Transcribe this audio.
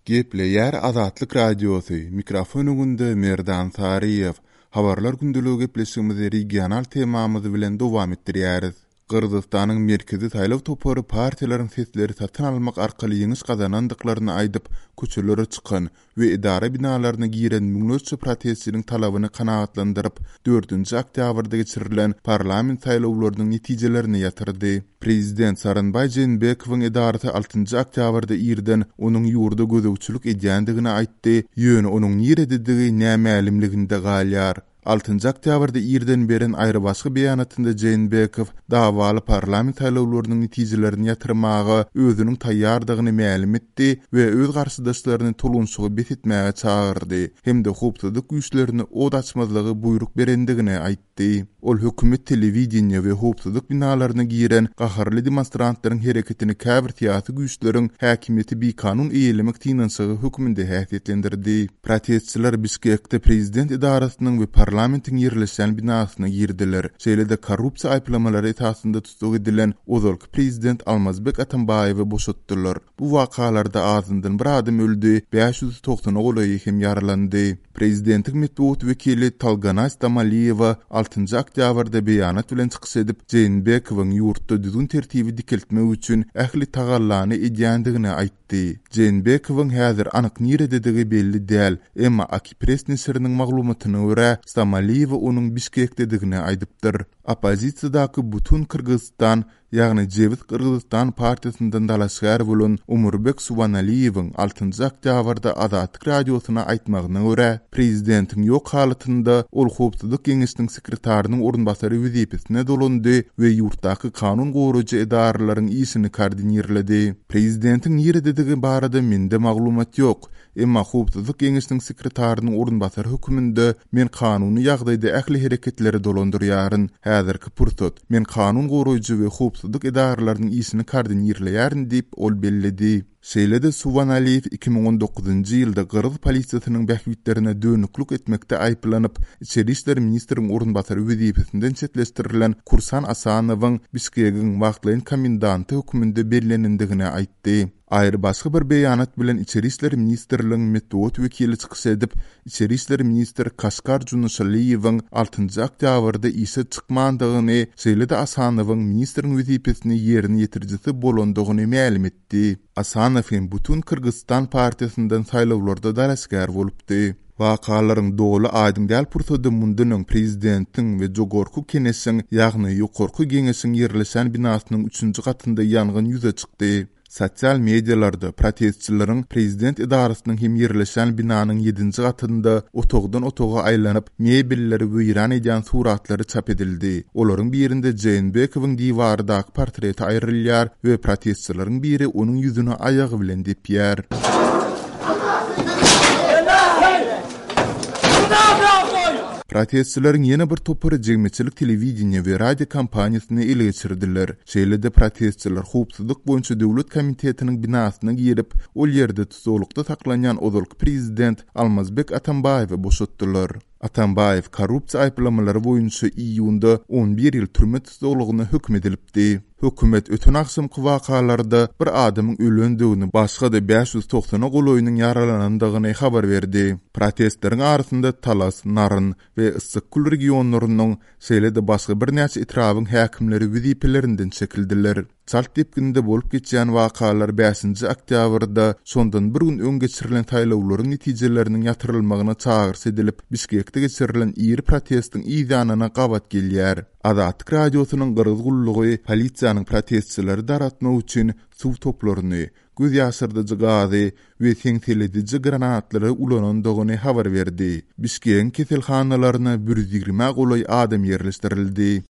Gepleýär Azatlyk Radiosy, mikrofon öňünde Merdan Saryýew. Habarlar gündeligi gepleşigimizi regional temamyz bilen dowam etdirýäris. Gyrgyzystanyň Merkezi saýlaw topary partiýalaryň sesleri satyn almak arkaly ýeňiş gazanandyklaryny aýdyp, köçelere çykan we edara binalaryna giren müňlerçe protestçiniň talabyny kanagatlandyryp, dördünji oktýabrda geçirilen parlament saýlawlarynyň netijelerini ýatyrdy. Prezident Sooronbaý Jeenbekowyň edarasy altynjy oktýabrda irden onuň ýurda gözegçilik edýändigini aýtdy, ýöne onuň nirededigi nämälimliginde galýar. Altynjy oktýabrda irden beren aýrybaşga beýanatynda Jeenbekow dawaly parlament saýlawlarynyň netijelerini ýatyrmaga özüniň taýýardygyny mälim etdi we öz garşydaşlaryny tolgunşygy bes etmäge çagyrdy hem-de howpsuzlyk güýçlerine ot açmazlygy buýruk berendigini aýtdy. Ol hökümet telewideniýe we howpsuzlyk binalaryna giren gaharly demonstrantlaryň hereketini käbir syýasy güýçleriň häkimiýeti bikanun eýelemek synanyşygy hökmünde häsiýetlendirdi. Protestçiler Bişkekde prezident edarasynyň we parlamentiň ýerleşýän binasyna girdiler. Şeýle-de korrupsiýa aýyplamalary esasynda tussag edilen ozalky prezident Almazbek Atambaýewi boşatdylar. Bu wakalarda azyndan bir adam öldi, 590-a golaýy hem ýaralandy. Prezidentiň metbugat wekili Tolganaý Stamaliýewa altynjy oktýabrda beýanat bilen çykyş edip, Jeenbekowyň ýurtda düzgün-tertibi dikeltmek üçin ähli tagallany edýändigini aýtdy. Aýtdy. Jeenbekowyň häzir anyk nirededigi belli däl, emma Akipres neşiriniň maglumatyna görä, Stamaliýewa onuň Bişkekdedigini aýdypdyr. Oppozisiýadaky Butun Kyrgyzystan, ýagny Jebis Gyrgyzystan partiýasyndan dalaşgär bolan Omurbek Suwanaliýewiň altynjy oktýabrda Azatlyk Radiosyna aýtmagyna görä, prezidentiň ýok halatynda ol Howpsuzlyk geňeşiniň sekretarynyň orunbasary wezipesine dolandy we ýurtdaky kanun goraýjy edaralaryň işini koordinirledi. Prezidentiň nirededigi barada mende maglumat ýok, emma Howpsuzlyk geňeşiniň sekretarynyň orunbasary höküminde men kanuny ýagdaýda ähli hereketleri dolandyrýaryn. Häzirki pursat, men kanun goraýjy we howpsuzlyk edaralarynyň işini koordinirleýärin diýip, ol belledi. Şeýle-de Suwanaliýew 2019-njy ýylda gyrgyz polisiýasynyň bähbitlerine dönüklik etmekde aýyplanyp, içeri işler ministriň orunbasary wezipesinden çetleşdirilen Kursan Asanowyň Bişkegiň wagtlaýyn komendanty hökmünde bellenendigini aýtdy. Aýry-başga bir beýanat bilen Içeri işler ministrligiň metbugat wekili çykyş edip, içeri işler ministr Kaşkar Junuşaliýewiň altynjy oktýabrda işe çykmandygyny, şeýle-de Asanowyň ministriň wezipesini ýerine ýetirijisi bolandygyny mälim etdi. Asanow hem Butun Kyrgyzstan partiýasyndan saýlawlarda dalaşgär bolupdy. Wakalaryň doly aýdyň däl pursady mundan öň prezidentiň we Jogorku Keneşiň, ýagny Ýokarky Geňeşiň ýerleşen binasynyň üçünji gatynda ýangyn ýüze çykdy. Sosial medialarda protestçileriň prezident edarasynyň hem ýerleşen binanyň ýedinji gatynda otagdan otaga aýlanyp, mebelleri weýran edýän suratlary çap edildi. Olaryň birinde Jeenbekowyň diwardaky portreti aýrylýar we protestçileriň biri onuň ýüzüne aýagy bilen depýär. Protestçileriň ýene bir topary jemgyýetçilik telewideniýe we radio kompaniýasyny ele geçirdiler. Şeýle-de protestçiler Howpsuzlyk boýunça döwlet komitetiniň binasyna girip, ol ýerde tussaglykda saklanýan ozalky prezident Almazbek Atambaýewi boşatdylar. Atambaýew korrupsiýa aýyplamalary boýunça iýunda 11 ýyl türme tussaglygyna höküm edilipdi. Hökümet öten agşamky wakalarda bir adamyň ölendigini, başga-da 590-a golaýynyň ýaralanandygyny habar berdi. Protestleriň arasynda Talas, Naryn we Yssyk-Kül regionlarynyň, şeýle-de başga birnäçe etrabyň häkimleri wezipelerinden çekildiler. Çalt depginde bolup geçýän wakalar bäşinji oktýabrda, şondan bir gün öň geçirilen saýlawlaryň netijeleriniň ýatyrylmagyna çagyryş edilip, Bişkekde geçirilen iri protestiň yz ýanyna gabat gelýär. Azatlyk Radiosynyň Gyrgyz gullugy polisiýanyň protestçileri dargatmak üçin suw toplaryny, göz ýaşardyjy gazy we seňselediji granatlary ulanandygyny habar berdi. Bişkegiň keselhanalaryna bir ýüz ýigrimä golaý adam ýerleşdirildi.